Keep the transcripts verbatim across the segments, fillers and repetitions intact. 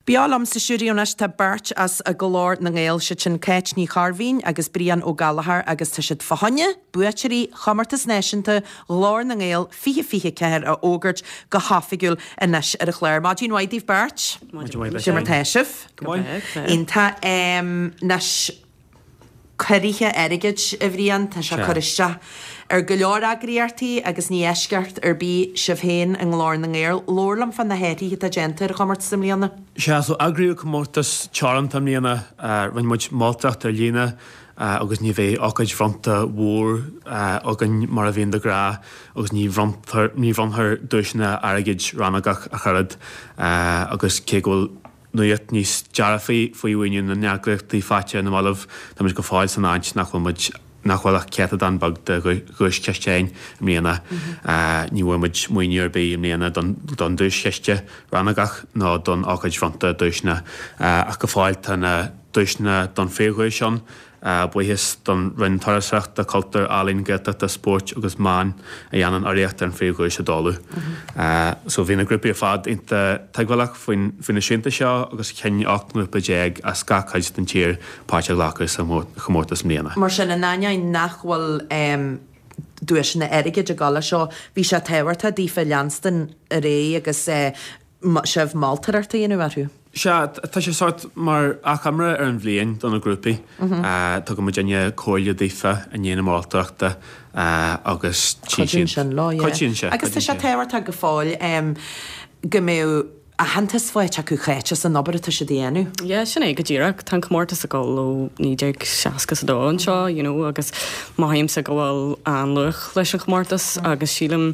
Beo liom sa stiúideo anois tá beirt as Glór na nGael, siad sin Cáit Ní Chairbhín agus Brian Ó Gallchóir agus tá siad fá choinne buaiteoirí Chomórtas Náisiúnta Ghlór na nGael fiche fiche ceathair a fhógairt go hoifigiúil anois ar an chlár. Maidin mhaith daoibh beirt. Maidin mar tá sibh. Iontach anois ciorruithe airgid a Bhriain, tá sé cur isteach ar go leor eagraíochtaí agus ní eisceacht ar bith sibh féin i nGlór na nGael. Labhair liom fá na hathruithe atá déanta ar an chomórtas i mbliana. Sea, so eagraíodh comórtas teoranta i mbliana, rinne muid moltóireacht ar líne agus ní bheidh ócáid bhronnta mhór againn mar a bhíonn de ghnáth agus ní bhronntar ní bhronnfar duaiseanna airgid rannógach ach oiread agus cé go bhfuil nuacht níos dearfaí faoi mhaoiniú na n-eagraíochtaí faighte ar na mallaibh, táimid go fóill san áit nach bhfuil muid nach bhfuil ach céatadán beag de dhuaischiste againn i mbliana. Ní bhfuair muid maoiniú ar bith i mbliana don don duaischiste rannógach ná don ócáid bhronnta duaiseanna ach go fóill tá na duaiseanna don phríomhdhuais ann. Buíochas don Roinn Turasóireachta, Cultúir, Ealaíon, Gaeltachta, Spóirt agus Meán a dhéanann urraíocht ar an phríomhdhuais a dáileadh. So bhí na grúpaí ar fad iontach tuigbheálach faoin faoi na srianta seo agus chinn ocht ngrúpa déag as gach cuid den tír páirt a ghlacadh sa chomórtas i mbliana. Mar sin, in ainneoin nach bhfuil duaiseanna airgid ag dul leis seo, bhí sé tábhachtach daofa leanstan ar aghaidh agus sibh moltóireacht a dhéanamh orthu. Sea, tá sé sórt mar achoimre ar an bhliain do na grúpaí. Tugann muidinne comhairle daofa i ndiaidh na moltóireachta agus tchí siad. Cuidíonn sin leo, yeah. Cuidíonn sé. Agus tá sé tábhachtach go fóill go mbeadh aitheantas faighte acu Cáit as an obair atá siad a dhéanamh. Yeah, sin é go díreach. Tá an comórtas ag dul ó naoi déag seasca is a dó anseo, you know, agus mothaímse go bhfuil an-luach leis an chomórtas agus sílim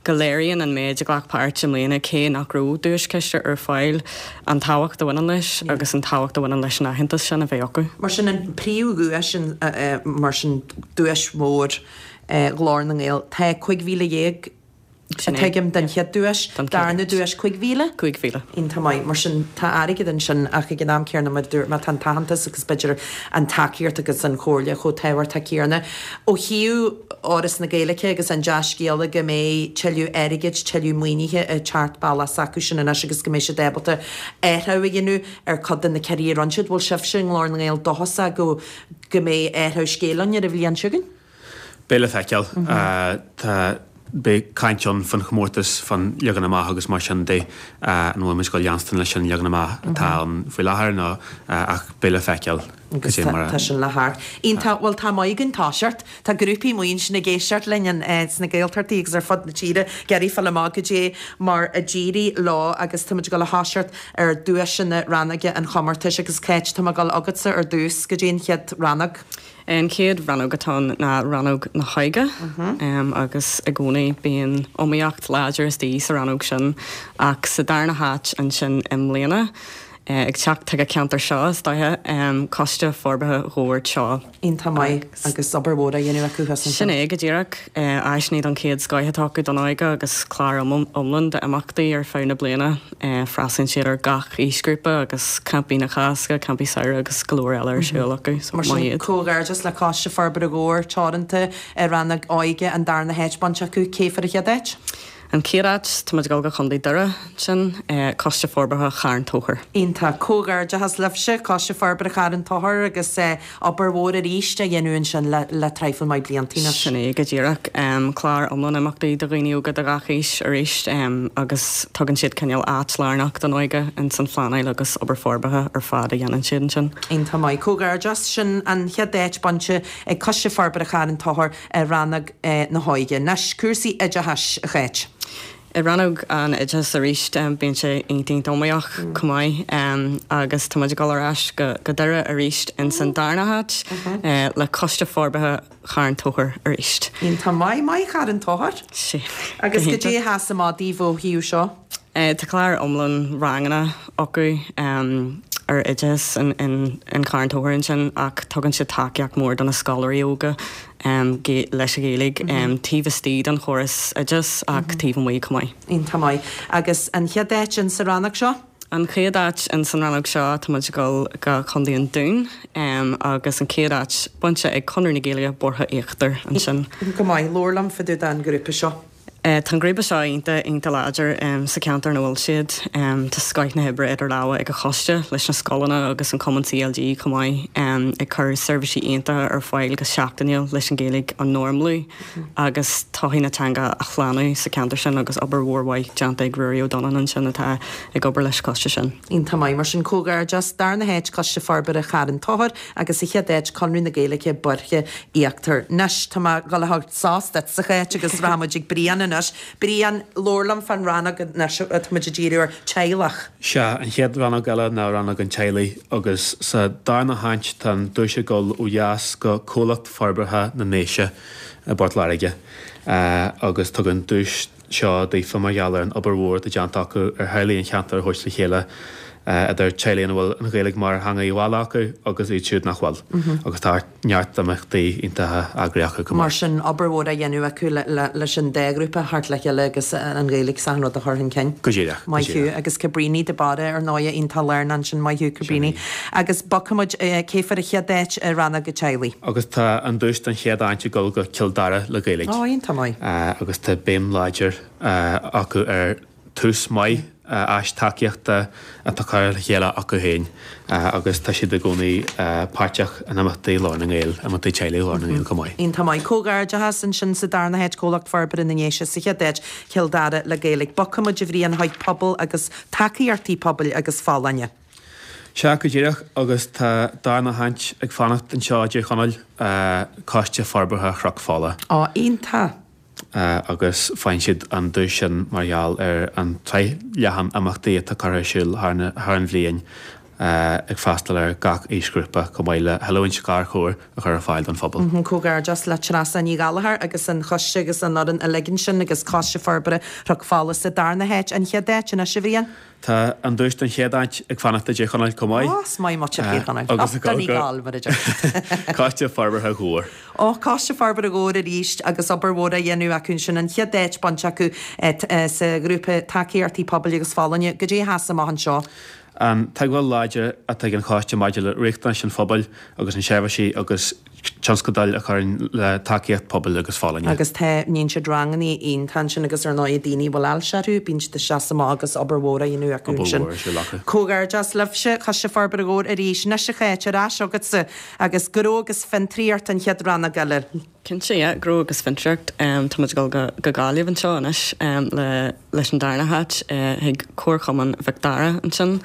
go léiríonn an méid a ghlac páirt i mbliana, cé nach raibh duaischiste ar fáil, an tábhacht a bhaineann leis agus an tábhacht a bhaineann leis an aitheantas sin a bheith acu. Mar sin an príomhdhuais, mar sin duais mhór Ghlór na nGael, tá cúig mhíle dhéag tuigim don chéad duais, darna duais cúig mhíle? Cúig mhíle. Iontach maith. Mar sin tá airgead ansin ach ag an am céanna mar a dúirt mé tá an t-aitheantas agus b'fhéidir an tacaíocht agus an chomhairle chomh tábhachtach céanna. Ó thaobh Fhoras na Gaeilge agus an dea-scéala go mbeidh tuilleadh airgid, tuilleadh maoinithe ag teacht bealach s'acu sin anois agus go mbeidh siad ábalta athrú a dhéanamh ar chuid de na ciorruithe a rinne siad. Bhfuil sibhse i nGlór na nGael dóchasach go go mbeidh athrú scéil ann ar an bhliain seo chugainn? Beidh le feiceáil. Tá beidh caint ann fán chomórtas, fán leagan amach agus mar sin de, an bhfuil muid ag dul leanstan leis an leagan amach atá ann faoi láthair nó ach beidh le feiceáil Agus cad é mar a tá sin le theacht. Iontach, bhuel tá maith againn toiseacht. Tá grúpaí amuigh ansin ag éisteacht linn sna Gaeltachtaí agus ar fud na tíre ag iarraidh fáil amach goidé mar a d'éirigh leo agus tá muid ag dul a thoiseacht ar duaiseanna rannóga an chomórtais agus Cáit, tá mé ag dul chugatsa ar dtús, goidé an chéad rannóg? An chéad rannóg atá ann ná rannóg na hóige agus i gcónaí bíonn iomaíocht láidir istigh sa rannóg sin ach sa darna háit ansin i mbliana, ag teacht chuig an cheantar seo is dóiche, Coiste Forbartha Dhobhair Teo. Iontach maith agus obair mhór á dhéanamh acu thuas ansin. Sin é go díreach. Áiseanna den chéad scoith atá acu don óige agus clár iomlán d'imeachtaí ar feadh na bliana. Freastalaíonn siad ar gach aoisghrúpa agus campaí na Cásca, campaí samhraidh agus go leor eile ar siúl acu, so Mar maith sin, iad. comhghairdeas le Coiste Forbartha Dhobhair Teoranta i rannóg óige an darna háit bainte acu. Cé fuair an chéad áit? An chéad áit, tá muid ag dul go Contae Doire ansin, Coiste Forbartha Charn Tóchair. Iontach. Comhghairdeachas libhse, Coiste Forbartha Charn Tóchair agus obair mhór arís á dhéanamh ansin le le traidhfil maith blianta anois. Sin é go díreach. Clár iomlán imeachtaí do dhaoine óga de gach aois arís agus tugann siad cineál áit lárnach don óige ins an phleanáil agus obair forbartha ar fad a dhéanann siad ansin. Iontach maith. Comhghairdeas. Sin an chéad áit bainte ag Coiste Forbartha Charn Tóchair i rannóg na hóige. Anois, cúrsaí oideachais, a Cháit. I rannóg an oideachais arís, bíonn sé iontach iontach iomaíoch chomh maith agus tá muid ag dul ar ais go go Doire arís ins an darna háit le Coiste Forbartha Charn Tóchair arís. Iontach maith, maith Charn Tóchair. Sin, go Agus hiontach. goidé a sheas amach daoibh ó thaobh seo? Tá clár iomlán ranganna acu ar oideachas in Carn Tóchair ansin ach tugann siad tacaíocht mhór do na scoláirí óga leis an Ghaeilge taobh istigh den chóras oideachais ach taobh amuigh chomh maith. Iontach maith. Agus an chéad áit in sa rannóg seo? An chéad áit in san rannóg seo tá muid ag dul go Contae an Dúin agus an chéad áit bainte ag Conradh na Gaeilge Boirche Íochtar ansin. Go maith. Labhair liom fá dtaobh den ghrúpa seo. Tá an grúpa seo iontach iontach láidir sa cheantar ina bhfuil siad. Tá scoth na hoibre idir lámha ag an choiste leis na scoileanna agus an cumann C L G chomh maith, ag cur seirbhísí iontacha ar fáil go seachtainiúil leis an Ghaeilge a normalú agus todhchaí na teanga a shlánú sa cheantar sin agus obair mhór mhaith déanta ag Ruairí Ó Donnáin ansin atá ag obair leis an choiste sin. Iontach maith, mar sin comhghairdeas, darna háit Coiste Forbartha Charn Tóchair agus sa chéad áit Conradh na Gaeilge Boirche Íochtar. Anois tá mé ag dul a thabhairt sos duit a Cháit agus rachaimid ag Brian anois. Brian, labhair liom fán rannóg anois atá muid ag díriú ar teaghlach. Sea, an chéad rannóg eile ná rannóg an teaghlaigh agus sa darna háit tá an duais ag dul ó dheas go Comhlacht Forbartha na nDéise i bPort Láirge agus tugann duais seo daofa mar gheall ar an obair mhór atá déanta acu ar theaghlaigh an cheantair a thabhairt le chéile, idir teaghlaigh ina bhfuil an Ghaeilge mar theanga bhaile acu agus iad siúd nach bhfuil. Agus tá neart imeachtaí iontacha eagraithe acu chomh Mar maith. sin, obair mhór á dhéanamh acu leis an dá ghrúpa a thabhairt le chéile agus an Ghaeilge is achan rud a chur chun cinn. Go díreach, go Maith thú. díreach. Agus Cabríní de Barra, ar ndóigh, iontach lárnach ansin. Maith thú, Cabríní. Agus bogfaimid, cé fuair an chéad áit i rannóg an teaghlaigh? Agus tá an duais don chéad áit ag dul go Cill Dara le Gaeilge. Ó, iontach maith. Agus tá béim láidir acu ar Tús Maith, áis tacaíochta atá curtha le chéile acu féin agus tá siad i gcónaí páirteach in imeachtaí Ghlór na nGael, imeachtaí teaghlaigh Ghlór na Ngael chomh maith. Iontach maith. Comhghairdeachas ansin sa darna háit Comhlacht Forbartha na nDéise, sa chéad áit Cill Dara le Gaeilge. Bogfaimid a Bhriain chuig pobal agus tacaíochtaí pobail agus folláine. Sea, go díreach, agus tá darna háit ag fanacht anseo i dTír Chonaill, Coiste Forbartha Chnoc Fola. Ó, iontach! Agus faigheann siad an duais sin mar gheall ar an tsraith leathan imeachtaí atá curtha ar siúl thar an bhliain ag freastal ar gach aoisghrúpa chomh maith le hoiliúint gharchabhair a chur ar fáil don phobal. Comhghairdeas le Treasa Ní Ghallchóir agus an choiste agus an fhoireann uilig ansin agus Coiste Forbartha Chnoc Fola sa darna háit. An chéad áit anois, a Bhriain? Tá an duais don chéad áit ag fanacht i dTír Chonaill chomh maith. Ó, is maith muid Tír Chonaill. Agus ag Donegal, mar a deir siad. Coiste Forbartha Dhobhair. Ó, Coiste Forbartha Dhobhair arís agus obair mhór á dhéanamh acu ansin. An chéad áit bainte acu sa ghrúpa Tacaíochtaí Pobail agus Folláine. Goidé a sheas amach anseo? An tuigbheáil láidir atá ag an choiste maidir le riachtanais an phobail agus na seirbhísí agus tionscadail a chuireann le tacaíocht pobail agus folláine. Agus tá, níonn siad ranganna iontacha ansin agus ar ndóigh daoine a bhfuil ailse orthu, bíonn siad ag seasamh amach agus obair mhór á dhéanamh acu Obair ansin. mhór ar siúl acu. Comhghairdeas libhse, Coiste Forbartha Dhobhair arís. Anois a Cháit, ar ais agatsa agus gnó agus fiontraíocht an chéad rannóg eile. Cinnte, yeah, gnó agus fiontraíocht. Tá muid ag dul go go Gaillimh anseo anois le leis an darna háit chuig Comharchumann Mhic Dara ansin.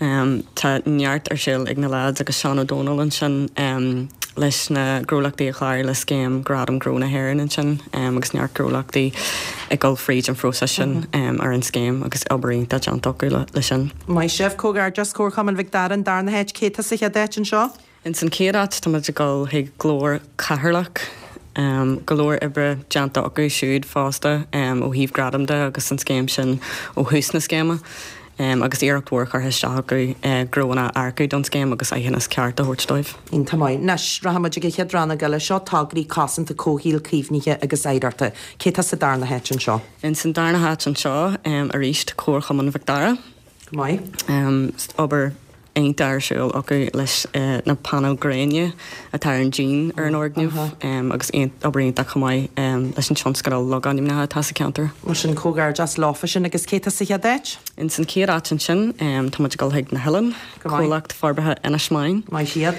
Tá neart ar siúl ag na lads agus Seán Ó Dónaill ansin leis na gnólachtaí a chláraigh le scéim Gradam Gnó na hÉireann ansin agus neart gnólachtaí ag dul fríd an phróiseas sin ar an scéim agus obair iontach déanta acu le sin. Maith sibh. Comhghairdeas, Comharchumann Mhic Dara an darna háit. Cé tá sa chéad áit anseo? Ins an chéad áit tá muid ag dul chuig Glór Cheatharlach. Go leor oibre déanta acu siúd fosta ó thaobh gradam de agus an scéim sin ó thús na scéime agus iarracht mhór curtha isteach acu gnóanna a earcú don scéim agus aitheantas ceart a thabhairt dóibh. Iontach maith. Anois, rachaimid ag an chéad rannóg eile. Seo tograí cosanta comhshaoil, caomhnaithe agus oidhreachta. Cé tá sa darna háit anseo? Ins an darna háit anseo arís, Comharchumann Mhic Dara. Go maith. Obair iontach ar siúl acu leis na painéil gréine atá ar an díon ar an fhoirgneamh agus obair iontach chomh maith leis an tionscadal logainmneacha atá sa cheantar. Mar sin, comhghairdeas leofa sin agus cé tá sa chéad áit? Ins an chéad áit ansin, tá muid ag dul chuig na hOileáin, Comhlacht Forbartha Inis Meáin. Maith iad.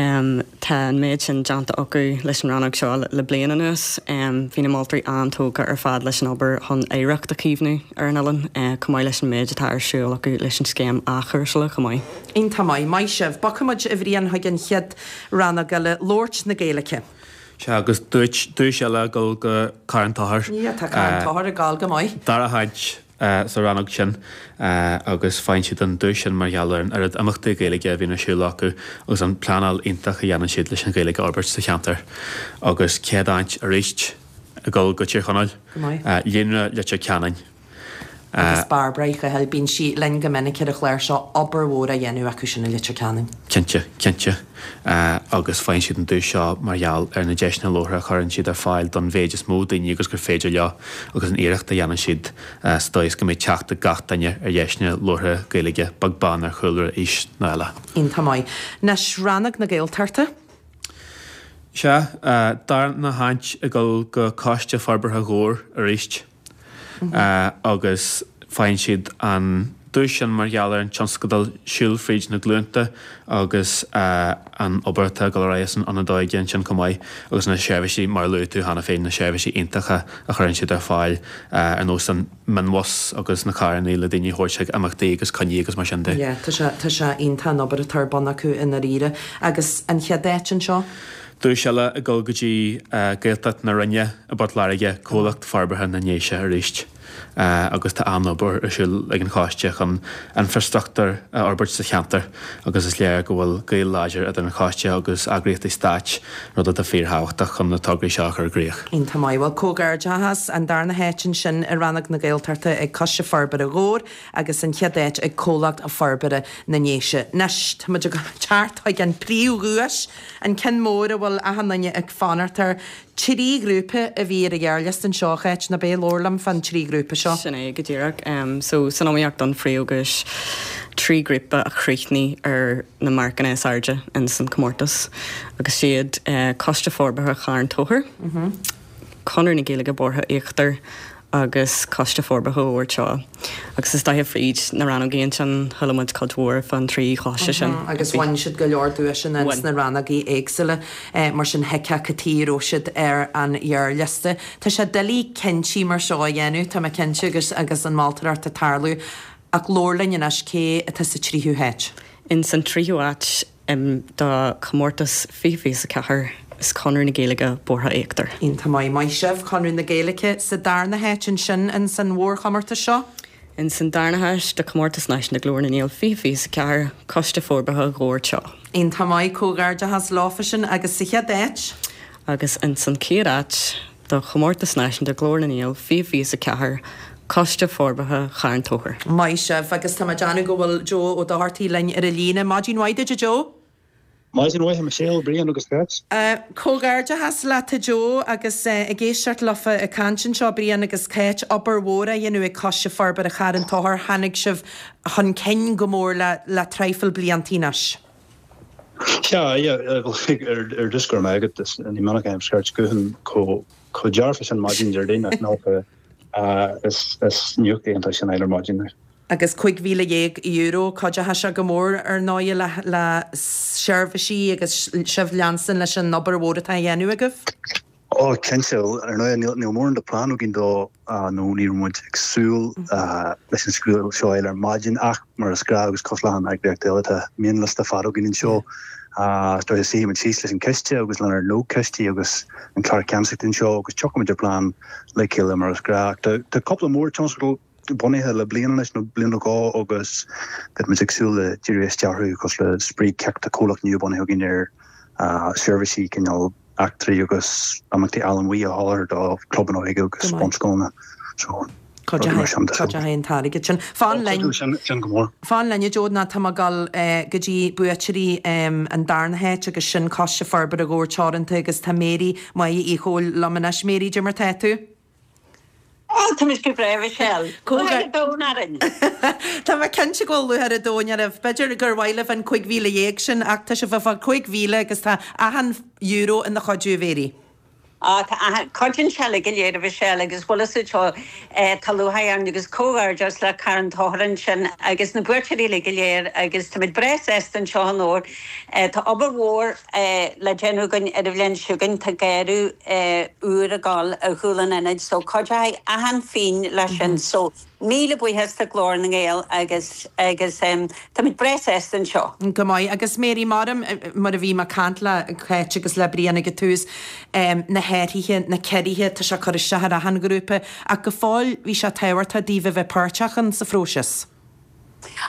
Tá an méid sin déanta acu leis an rannóg seo le bliain anuas. Bhí na moltóirí an-tógtha ar fad leis an obair chun oidhreacht a chaomhnú ar an oileán, chomh maith leis an méid atá ar siúl acu leis an scéim athchúrsála chomh maith. Iontach maith. Maith sibh. Bogfaimid, a Bhriain, chuig an chéad rannóg eile, labhairt na Gaeilge. Sea, agus duais eile ag dul go Carn Tóchair. Yeah, tá Carn Tóchair ag gabháil go maith. Dara háit. sa rannóg sin agus faigheann siad an duais sin mar gheall ar an oiread imeachtaí Gaeilge a bhíonn ar siúl acu agus an pleanáil iontach a dhéanann siad leis an Ghaeilge a fhorbairt sa cheantar. Agus céad áit arís ag dul go Tír Chonaill, Líonra Leitir Ceanainn. Agus Bairbre Uí Chathail, bíonn sí linn go minic ar an chlár seo, obair mhór á dhéanamh acu sin i Leitir Ceanainn. Cinnte, cinnte. Agus faigheann siad an duais seo mar gheall ar na deiseanna labhartha a chuireann siad ar fáil don mhéid is mó daoine agus gur féidir leo agus an iarracht a dhéanann siad sa dóigh is go mbeidh teacht ag gach duine ar dheiseanna labhartha Gaeilge, beag beann ar chúlra, aois nó eile. Iontach maith. Anois, Rannóg na Gaeltachta. Sea, darna háit ag dul go Coiste Forbartha Dhobhair arís. agus faigheann siad an duais sin mar gheall ar an tionscadal Siúl Fríd na Glúnta agus an obair atá ag dul ar aghaidh san ionad óige ansin chomh maith agus na seirbhísí mar a luaigh tú cheana féin, na seirbhísí iontacha a chuireann siad ar fáil ar nós an mionbhus agus na carranna le daoine a thabhairt chuig imeachtaí agus coinní agus mar sin de. Yeah, tá sé, tá sé iontach an obair atá ar bun acu i ndáiríre. Agus an chéad áit anseo? Duais eile ag dul go dtí Gaeltacht na Rinne i bPort Láirge, Comhlacht Forbartha na nDéise arís agus tá an-obair ar siúl ag an choiste chun infreastruchtúr a fhorbairt sa cheantar agus is léir go bhfuil gaol láidir idir an choiste agus eagraíochtaí stáit, rud atá fíorthábhachtach chun na tograí seo a chur i gcrích. Iontach maith. Bhuel, comhghairdeachas, an darna háit ansin i Rannóg na Gaeltachta ag Coiste Forbartha Dhobhair agus an chéad áit ag Comhlacht Forbartha na nDéise. Anois, tá muid ag teacht chuig an príomhdhuais, an ceann mór a bhfuil achan duine ag fanacht air. Trí ghrúpa a bhí ar an ghearrliosta anseo, a Cháit, ná b'é? Labhair liom fán trí ghrúpa seo. Sin é go díreach. So, san iomaíocht don phríomhdhuais, trí ghrúpa a chríochnaigh ar na marcanna is airde ins an comórtas agus siad Coiste Forbartha Charn Tóchair, Conradh na Gaeilge Bóithre Íochtair agus Coiste Forbartha Dhobhair Teo. Agus is dóiche fríd na rannógaí ansin, chuala muid cuid mhór fán trí choiste sin. Agus bhain siad go leor duaiseanna ins na rannógaí éagsúla, mar sin thuigfeá cad chuige a raibh siad ar an ghearrliosta. Tá sé doiligh cinntí mar seo a dhéanamh, tá mé cinnte, agus agus an mholtóireacht ag tarlú. Ach labhair linn anois, cé atá sa tríú háit? Ins an tríú háit do chomórtas fiche fiche a ceathair is Conradh na Gaeilge Bóithre Íochtair. Iontach maith. Maith sibh, Conradh na Gaeilge sa darna háit ansin ins an mhórchomórtas seo. Ins an darna háit do Chomórtas Náisiúnta Glór na nGael fiche fiche a ceathair, Coiste Forbartha Dhobhair Teo. Iontach maith, comhghairdeachas leofa sin agus sa chéad áit? Agus ins an chéad áit do Chomórtas Náisiúnta Glór na nGael fiche fiche a ceathair, Coiste Forbartha Charn Tóchair. Maith sibh agus tá mé ag déanamh go bhfuil Joe Ó Dochartaigh linn ar an líne. Maidin mhaith duit a Joe. Maidin mhaith a Michelle, Brian agus Cáit. Comhghairdeachas leat a Joe agus ag éisteacht leofa ag caint anseo, Brian agus Cáit, obair mhór á dhéanamh ag Coiste Forbartha Charn Tóchair, tháinig sibh chun cinn go mór le le traidhfil bliantaí anois. Sea, yeah, ar dtús go raibh maith agat, ní minic a fheicim scairt gutháin chomh dearfa sin maidin Déardaoin ach nócha is is nuacht iontach sin ar maidin. Agus cúig mhíle dhéag euro, cuideoidh sé go mór ar ndóigh le le seirbhísí agus sibh leanstan leis an obair mhór atá á dhéanamh agaibh? Ó, cinnte, ar ndóigh níl níl mórán de plean againn dó nó ní raibh muid ag súil leis an scéal seo a fháil ar maidin ach mar is gnáth agus cosúil le achan eagraíocht eile tá mionliosta fada againn anseo. Is dóigh suífidh muid síos leis an ciste agus lenár lógchoistí agus an clár ceannasachta anseo agus tiocfaidh muid ar plean le chéile mar is gnáth. Ach tá cúpla mór tionscadal bunaithe le bliain anois nó bliain nó dhó agus beidh muid ag súil le díriú isteach orthu cosúil le Spraoi Cic, tá comhlacht nua bunaithe againn ar seirbhísí cineál eachtraí agus imeachtaí allamuigh a sholáthar do chlubanna óige agus bunscoileanna. So, rudaí mar sin. Cuideoidh an t-airgead sin. Fan linn. Sin go mór. Fan linn a Joe nó tá mé ag dul go dtí buaiteoirí an darna háit agus sin Coiste Forbartha Dhobhair Teoranta agus tá Mary Mháire Uí Chomhaill liom anois. Mary, cad é mar tá tú? Ó, tá mise go breá, Michelle. Lúcháir an domhain orainn. Tá mé cinnte go bhfuil lúcháir an domhain oraibh. B'fhéidir gur mhaith libh an cúig mhíle dhéag sin ach tá sibh ag fáil cúig mhíle agus tá achan euro ina chuidiú, a Mhary. Á, tá achan, cuidíonn sé uilig go léir, a Mhichelle, agus bhfuil fhios agat seo, tá lúcháir orainn agus comhghairdeas le Carn Tóchair ansin agus na buaiteoirí uilig go léir agus táimid breá sásta anseo i nDobhar. Tá obair mhór le déanamh againn ar an bhliain seo chugainn, tá garraí úr ag dul ar chúl an ionaid so cuideoidh achan phingin leis sin so míle buíochas do Ghlór na nGael agus agus táimid breá sásta anseo. Go maith. Agus Mary, mar mar a bhí mé ag caint le Cáit agus le Brian ag an tús, na hathruithe, na ciorruithe, tá sé ag cur isteach ar achan ghrúpa ach go fóill bhí sé tábhachtach daoibh a bheith páirteach in sa phróiseas.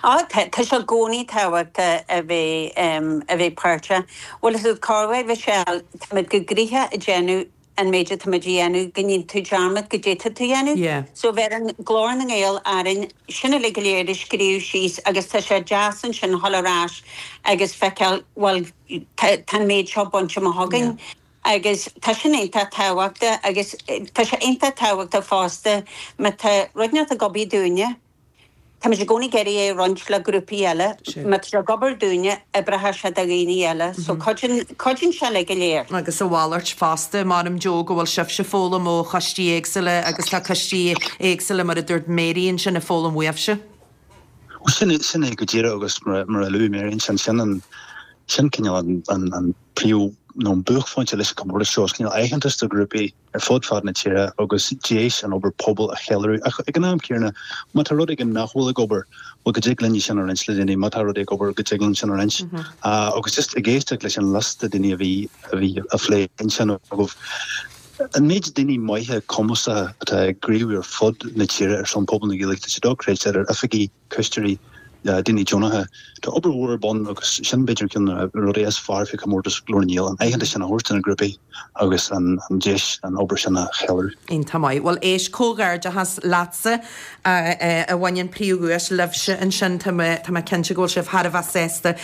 Á, tá sé i gcónaí tábhachtach a bheith, a bheith páirteach. Bhfuil fhios agat cá bhfuil, Michelle, táimid go gnoitheach ag déanamh an méid atáimid a dhéanamh, go ndéanann tú dearmad goidé atá tú a dhéanamh. Yeah. So bheireann Glór na nGael orainn sin uilig go léir a scríobh síos agus tá sé deas ansin dhul ar ais agus feiceáil, bhuel, tá, tá an méid seo bainte amach againn. Yeah. Agus tá sin iontach tábhachtach agus tá sé iontach tábhachtach fosta má tá rud inteacht ag obair dúinne. Táimid i gcónaí ag iarraidh é a roinnt le grúpaí eile. Má tá sé ag obair dúinne, oibreoidh sé do dhaoine eile. So cuidíonn, cuidíonn sé le go léir. Agus a mhalairt fosta, measaim Joe go bhfuil sibhse ag foghlaim ó choistí éagsúla agus tá coistí éagsúla mar a dúirt Mary ansin ag foghlaim uaibhse. Bhuel sin é, sin é go díreach agus mar, mar a luaigh Mary ansin, sin an, sin cineál an, an, an príomh nó an buaicphointe leis an chomórtas seo, is cineál aitheantas do ghrúpaí ar fud fad na tíre agus deis an obair pobail a cheiliúradh. Ach ag an am céanna, má tá rud éigin nach bhfuil ag obair, bhuel go dtig linn sin a roinnt le daoine, má tá rud ag obair go dtig linn sin a roinnt. Agus just ag éisteacht leis an liosta daoine a bhí a bhí á phlé ansin agaibh, an méid daoine maithe cumasacha atá ag gníomhú ar fud na tíre ar son pobal na Gaeilge, tá sé dochreidte, idir oifigigh, coistí, daoine deonacha. Tá obair mhór ar bun agus sin b'fhéidir ceann de na rudaí is fearr faoi chomórtas Ghlór na nGael, an aitheantas sin a thabhairt do na grúpaí agus an deis an obair sin a cheiliúradh. Iontach maith. Bhuel éist, comhghairdeachas leatsa a bhain an príomhdhuais libhse ansin. Tá mé, tá mé cinnte go bhfuil sibh thar a bheith sásta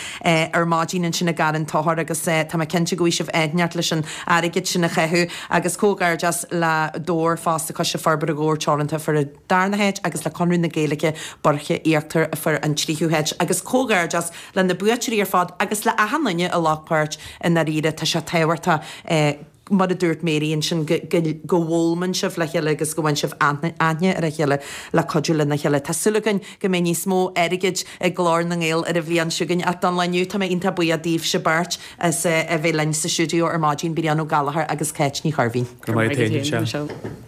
ar maidin ansin i gCarn Tóchair agus tá mé cinnte go bhfaighidh sibh aithneacht leis an airgead sin a chaitheamh agus comhghairdeas le Dobhar fosta, Coiste Forbartha Dhobhair Teoranta a fuair an darna háit agus le Conradh na Gaeilge Boirche Íochtar a fuair an tríú háit agus comhghairdeas le na buaiteoirí ar fad agus le achan duine a ghlac páirt i ndáiríre tá sé tábhachtach mar a dúirt Mary ansin go go bhfoghlaimeann sibh le chéile agus go bhfaigheann sibh aithne ar a chéile le cuidiú lena chéile. Tá súil againn go mbeidh níos mó airgid ag Glór na nGael ar an bhliain seo chugainn ach don lá inniu tá mé iontach buíoch daoibhse beirt as a bheith linn sa stiúideo ar maidin, Brian Ó Gallchóir agus Cáit Ní Chairbhín. Go raibh maith agat féin, Michelle.